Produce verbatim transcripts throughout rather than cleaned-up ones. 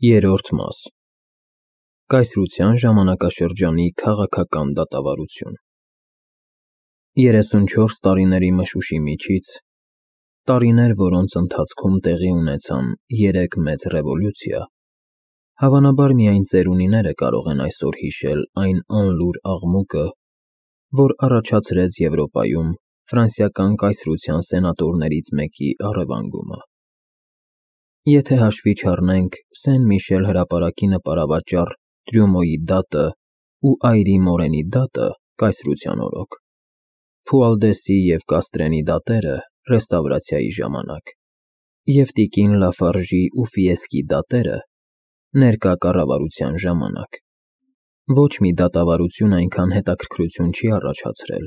Երրորդ մաս Կայսրության ժամանակաշրջանի քաղաքական դատավարություն երեսունչորս տարիների մշուշի միջից, տարիներ, որոնց ընթացքում տեղի ունեցան երեք մեծ ռևոլյուցիա, հավանաբար միայն ծերունիները կարող են այսօր հիշել այն անլուր աղմուկը, որ առաջացրեց Եվրոպայում ֆրանսիական կայսրության սենատորներից մեկի առևանգումը։ Եթե հաշվի չառնենք Սեն-Միշել հրապարակի նպարավաճառ Տրյումոյի դատը ու այրի Մորենի դատը կայսրության օրոք, Ֆուալդեսի և Կաստրենի դատերը ռեստավրացիայի ժամանակ, և տիկին Լաֆարժի ու Ֆիեսկի դատերը ներկա կառավարության ժամանակ, ոչ մի դատավարություն այնքան հետաքրքրություն չի առաջացրել,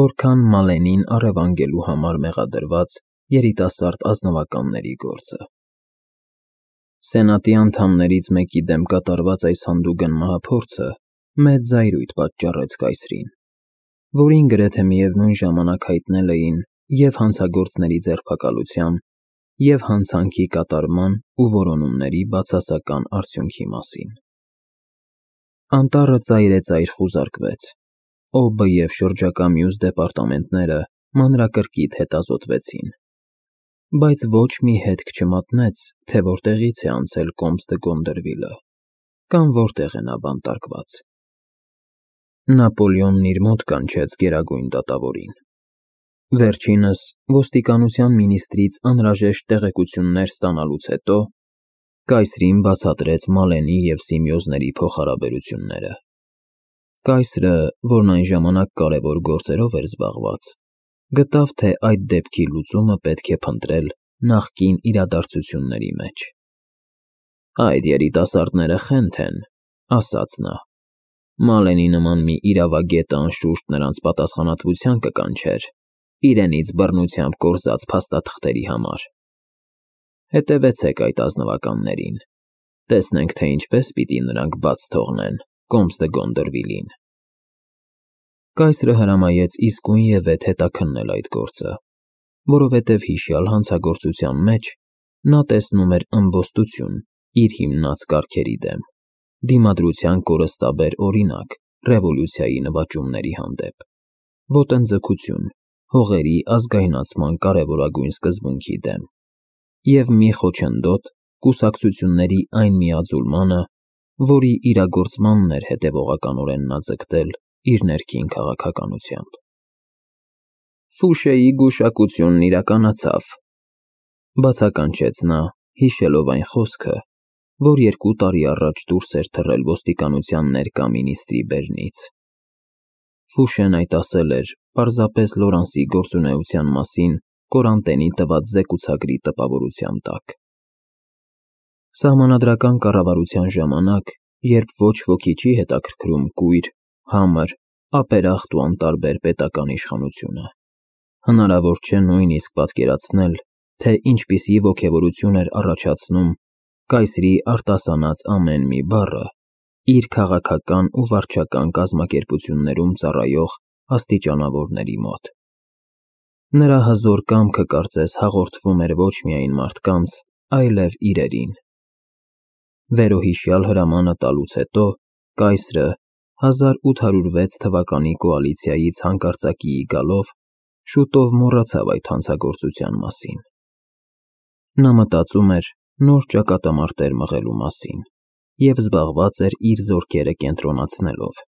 որքան Մալենին առևանգելու համար մեղադրված երիտասարդ ազնվականների գործը։ Սենատի անդամներից մեկի դեմ կատարված այս հանդուգն մահափորձը մեծ զայրույթ պատճառեց կայսրին, որին գրեթե միևնույն ժամանակ հայտնել էին և հանցագործների ձերբակալության, և հանցանքի կատարման ու որոնումների բացասական արդյունքի մասին։ Անտառը ծայրեծայր խուզարկվեց, Օբը և շրջակա մյուս դեպարտամենտները մանրակրկիտ հետազոտվեցին, բայց ոչ մի հետք չմատնեց, թե որտեղից է անցել Կոմս դը Գոնդերվիլը, կամ որտեղ է նա բանտարկված։ Նապոլեոնն իր մոտ կանչեց գերագույն դատավորին։ Վերջինս ոստիկանության մինիստրից անհրաժեշտ տեղեկություններ ստանալուց հետո կայսրին բացատրեց Մալենի և Սիմեոզների փոխհարաբերությունները։ Կայսրը, որն այն ժամանակ կարևոր գործերով էր զբաղված, գտավ, թե այդ դեպքի լուծումը պետք է փնտրել նախկին իրադարձությունների մեջ։ «Այդ երիտասարդները խենթ են,» ասաց նա։ «Մալենի նման մի իրավագետը անշուշտ նրանց պատասխանատվության կկանչեր իրենից բռնությամբ կորզած փաստաթղթերի համար։ Հետևեցեք այդ ազնվականներին, տեսնենք, թե ինչպես պիտի նրանք բաց թողնեն Կոմս դը Գոնդերվիլին»։ Կայսրը հրամայեց իսկույնևեթ հետաքննել այդ գործը, որովհետև հիշյալ հանցագործության մեջ նա տեսնում էր ըմբոստություն իր հիմնած կարգերի դեմ, դիմադրության կորստաբեր օրինակ ռևոլյուցիայի նվաճումների հանդեպ, ոտնձգություն հողերի ազգայնացման կարևորագույն սկզբունքի դեմ և մի խոչընդոտ կուսակցությունների այն միաձուլմանը, որի իրագործմանն էր հետևողականորեն նա ձգտել իր ներքին քաղաքականությամբ։ «Ֆուշեի գուշակությունն իրականացավ,» բացականչեց նա, հիշելով այն խոսքը, որ երկու տարի առաջ դուրս էր թռել ոստիկանության ներկա մինիստրի բերնից։ Ֆուշեն այդ ասել էր պարզապես Լորանսի գործունեության մասին Կորանտենի տված զեկուցագրի տպավորության տակ։ Սահմանադրական կառավարության ժամանակ, երբ ոչ ոքի չի հետաքրքրում կույր, համր, ապերախտ ու անտարբեր պետական իշխանությունը, հնարավոր չէ նույնիսկ պատկերացնել, թե ինչպիսի ոգևորություն էր առաջացնում կայսրի արտասանած ամեն մի բառը իր քաղաքական ու վարչական կազմակերպություններում ծառայող աստիճանավորների մոտ։ Նրա հզոր կամքը կարծես հաղորդվում էր ոչ միայն մարդկանց, այլև իրերին։ Վերոհիշյալ հրամանը տալուց հետո կայսրը հազար ութ հարյուր վեց թվականի կոալիցիայից հանկարծակիի գալով շուտով մոռացավ այդ հանցագործության մասին։ Նա մտածում էր նոր ճակատամարտեր մղելու մասին և զբաղված էր իր զորքերը կենտրոնացնելով,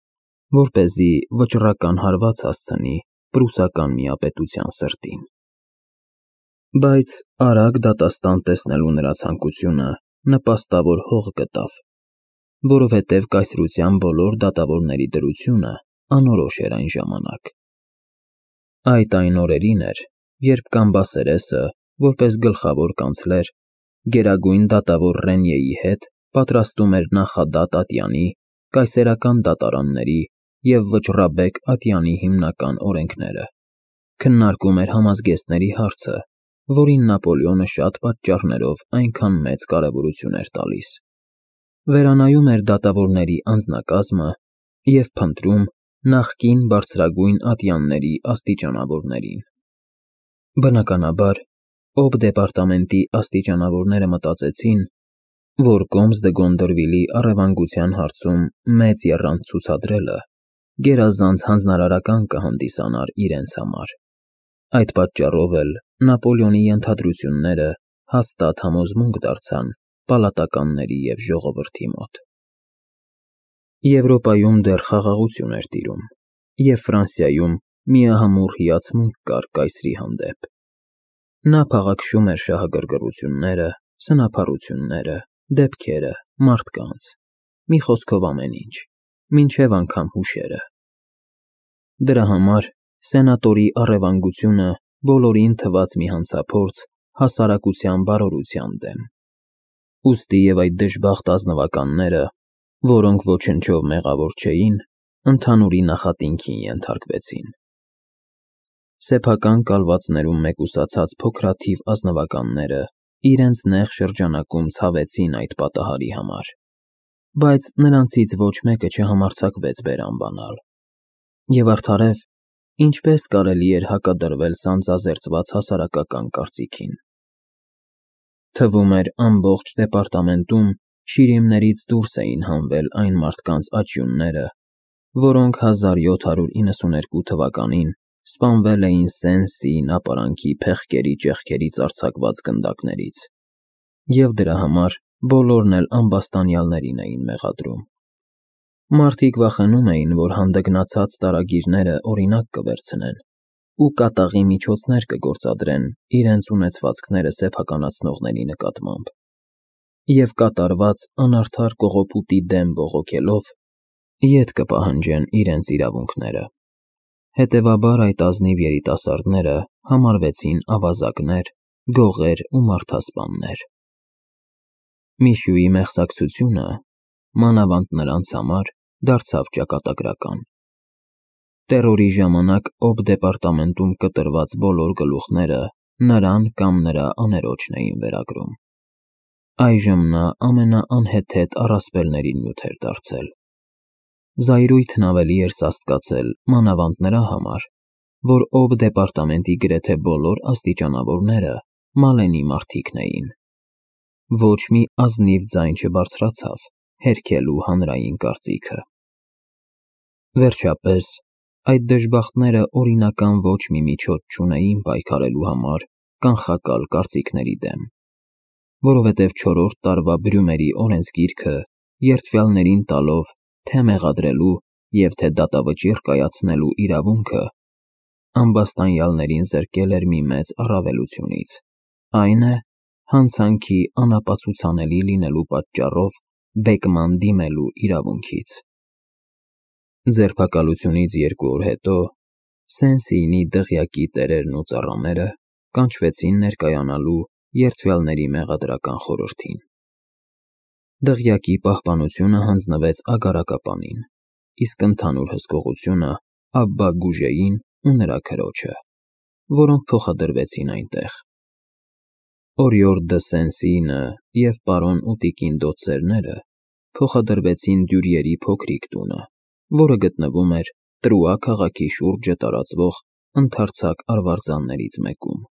որպեսզի վճռական հարված հասցնի պրուսական միապետության սրտին։ Բայց արագ դատաստան տեսնելու նրա ցանկությունը նպաստավոր հող գտավ, որովհետև կայսրության բոլոր դատավորների դրությունը անորոշ էր այն ժամանակ։ Այդ այն օրերին էր, երբ Կամբասերեսը, որպես գլխավոր կանցլեր, գերագույն դատավոր Ռենյեի հետ պատրաստում էր նախադատ ատյանի, կայսերական դատարանների և վճռաբեկ ատյանի հիմնական օրենքները, քննարկում էր համազգեստների հարցը, որին Նապոլեոնը շատ պատճառներով այնքան մեծ կարևորություն էր տալիս, վերանայում էր դատավորների անձնակազմը և փնտրում նախկին բարձրագույն ատյանների աստիճանավորներին։ Բնականաբար, Օբ դեպարտամենտի աստիճանավորները մտածեցին, որ Կոմս դե Գոնդորվիլի առևանգության հարցում մեծ եռանդ ցուցադրելը գերազանց հանձնարարական կհանդիսանար իրենց համար։ Այդ պատճառով էլ Նապոլեոնի ենթադրությունները հաստատ համոզմունք դարձան պալատականների և ժողովրդի մոտ։ Եվրոպայում դեռ խաղաղություն էր տիրում, և Ֆրանսիայում միահամուռ հիացմունք կար կայսրի հանդեպ։ Նա փաղաքշում էր շահագրգռությունները, սնափառությունները, դեպքերը, մարդկանց, մի խոսքով ամեն ինչ, մինչև անգամ հուշերը։ Դրա համար սենատորի առևանգությունը բոլորին թվաց մի հանցափորձ հասարակության բարօրության դեմ։ Ուստի և այդ դժբախտ ազնվականները, որոնք ոչնչով մեղավոր չէին, ընդհանուրի նախատինքին ենթարկվեցին։ Սեփական կալվածներում մեկուսացած փոքրաթիվ ազնվականները իրենց նեղ շրջանակում ցավեցին այդ պատահարի համար, բայց նրանցից ոչ մեկը չհամարձակվեց բերան բանալ։ Եվ արդարև, ինչպես կարելի էր հակադրվել սանձազերծված հասարակական կարծիքին։ Թվում էր ամբողջ դեպարտամենտում շիրիմներից դուրս էին հանվել այն մարդկանց աճյունները, որոնք հազար յոթ հարյուր իննսուներկու թվականին սպանվել էին Սեն-Սիին ապարանքի փեղկերի ճեղքերից արձակված գնդակներից, և դրա համար բոլորն էլ ամբաստանյալներին էին մեղադրում։ Մարդիկ վախենում էին, որ հանդգնացած տարագիրները օրինակ կվերցնեն ու կատաղի միջոցներ կգործադրեն իրենց ունեցվածքները սեփականացնողների նկատմամբ, և կատարված անարդար կողոպուտի դեմ բողոքելով ետ կպահանջեն իրենց իրավունքները։ Հետևաբար այդ ազնիվ երիտասարդները համարվեցին ավազակներ, գողեր ու մարդասպաններ։ Միշուի մեղսակցությունը, մանավանդ նրանց համար, դարձավ ճակատագրական։ Տերորի ժամանակ Օբ դեպարտամենտում կտրված բոլոր գլուխները նրան կամ նրա աներոջն էին վերագրում։ Այժմ նա ամենաանհեթեթ առասպելների նյութ էր դարձել։ Զայրույթն ավելի էր սաստկացել մանավանդ նրա համար, որ Օբ դեպարտամենտի գրեթե բոլոր աստիճանավորները Մալենի մարդիկն էին։ Ոչ մի ազնիվ ձայն չբարձրացավ հերքելու հանրային կարծիքը։ Վերջապես, այդ դժբախտները օրինական ոչ մի միջոց չունեին պայքարելու համար կանխակալ կարծիքների դեմ, որովհետև չորրորդ տարվա Բրյումերի օրենսգիրքը երդվյալներին տալով թե՛ մեղադրելու և թե՛ դատավճիռ կայացնելու իրավունքը, ամբաստանյալներին զրկել էր մի մեծ առավելությունից, այն է, հանցանքի անապացուցանելի լինելու պատճառով բեկման դիմելու իրավունքից։ Ձերբակալությունից երկու օր հետո Սեն-Սիինի դղյակի տերերն ու ծառաները կանչվեցին ներկայանալու երդվյալների մեղադրական խորհրդին։ Դղյակի պահպանությունը հանձնվեց ագարակապանին, իսկ ընդհանուր հսկողությունը Աբբա Գուժեին ու նրա քրոջը, որոնք փոխադրվեցին այնտեղ։ Օրիորդ դը Սեն-Սիինը և պարոն ու տիկին դոցերները փոխադրվեցին Դյուրիերի փոքրիկ տունը, որը գտնվում էր Տրուա քաղաքի շուրջը տարածվող ընդարձակ արվարձաններից մեկում։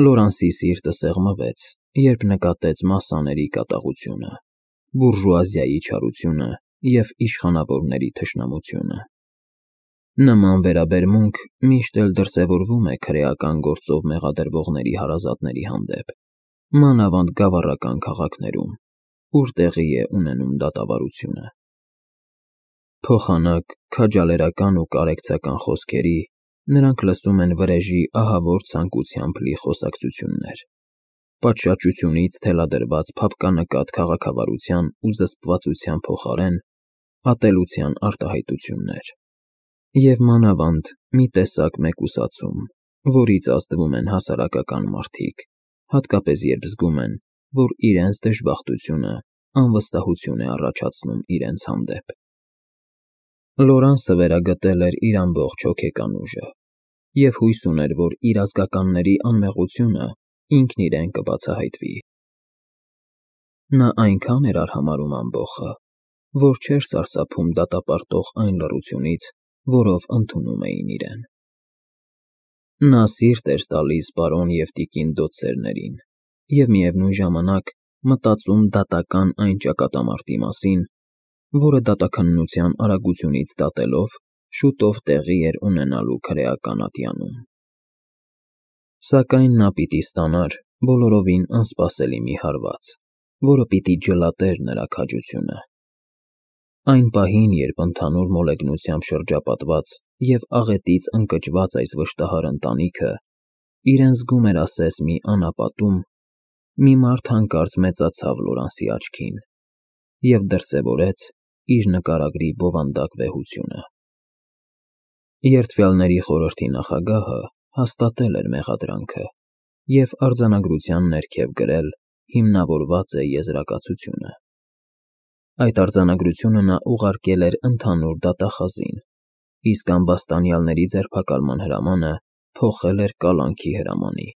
Լորանսի սիրտը սեղմվեց, երբ նկատեց մասսաների կատաղությունը, բուրժուազիայի չարությունը և իշխանավորների թշնամությունը։ Նման վերաբերմունք միշտ էլ դրսևորվում է քրեական գործով մեղադրվողների հարազատների հանդեպ, մանավանդ գավառական քաղաքներում, ուր տեղի է ունենում դատավարությունը։ Փոխանակ, քաջալերական ու կարեկցական խոսքերի նրանք լսում են վրեժի ահավոր ցանկությամբ լի խոսակցություններ, պատշաճությունից թելադրված փափկանկատ քաղաքավարության ու զսպվածության փոխարեն ատելության արտահայտություններ, և մանավանդ մի տեսակ մեկուսացում, որից ազդվում են հասարակական մարդիկ, հատկապես երբ զգում են, որ իրենց դժբախտությունը անվստահություն է առաջացնում իրենց հանդեպ։ Լորանսը վերագտել էր իր ամբողջ հոգեկան ուժը և հույս ուներ, որ իր ազգականների անմեղությունը ինքն իրեն կբացահայտվի։ Նա այնքան էր արհամարհում ամբոխը, որ չէր սարսափում դատապարտող այն լռությունից, որով ընդունում էին իրեն։ Նա սիրտ էր տալիս պարոն և տիկին դոցերներին և միևնույն ժամանակ մտածում դատական այն ճակատամարտի մասին, որը դատաքննության արագությունից դատելով շուտով տեղի էր ունենալու քրեական ատյանում։ Սակայն նա պիտի ստանար բոլորովին անսպասելի մի հարված, որը պիտի ջլատեր նրա քաջությունը։ Այն պահին, երբ ընդհանուր մոլեգնությամբ շրջապատված և աղետից ընկճված այս վշտահար ընտանիքը իրեն զգում էր ասես մի անապատում, մի մարդ հանկարծ մեծացավ Լորանսի աչքին և դրսևորեց իր նկարագրի բովանդակ վեհությունը։ Երդվյալների խորհրդի նախագահը հաստատել էր մեղադրանքը և արձանագրության ներքև գրել հիմնավորված է եզրակացությունը։ Այդ արձանագրությունը նա ուղարկել էր ընդհանուր դատախազին, իսկ ամբաստանյալների ձերբակալման հրամանը փոխել էր կալանքի հրամանի։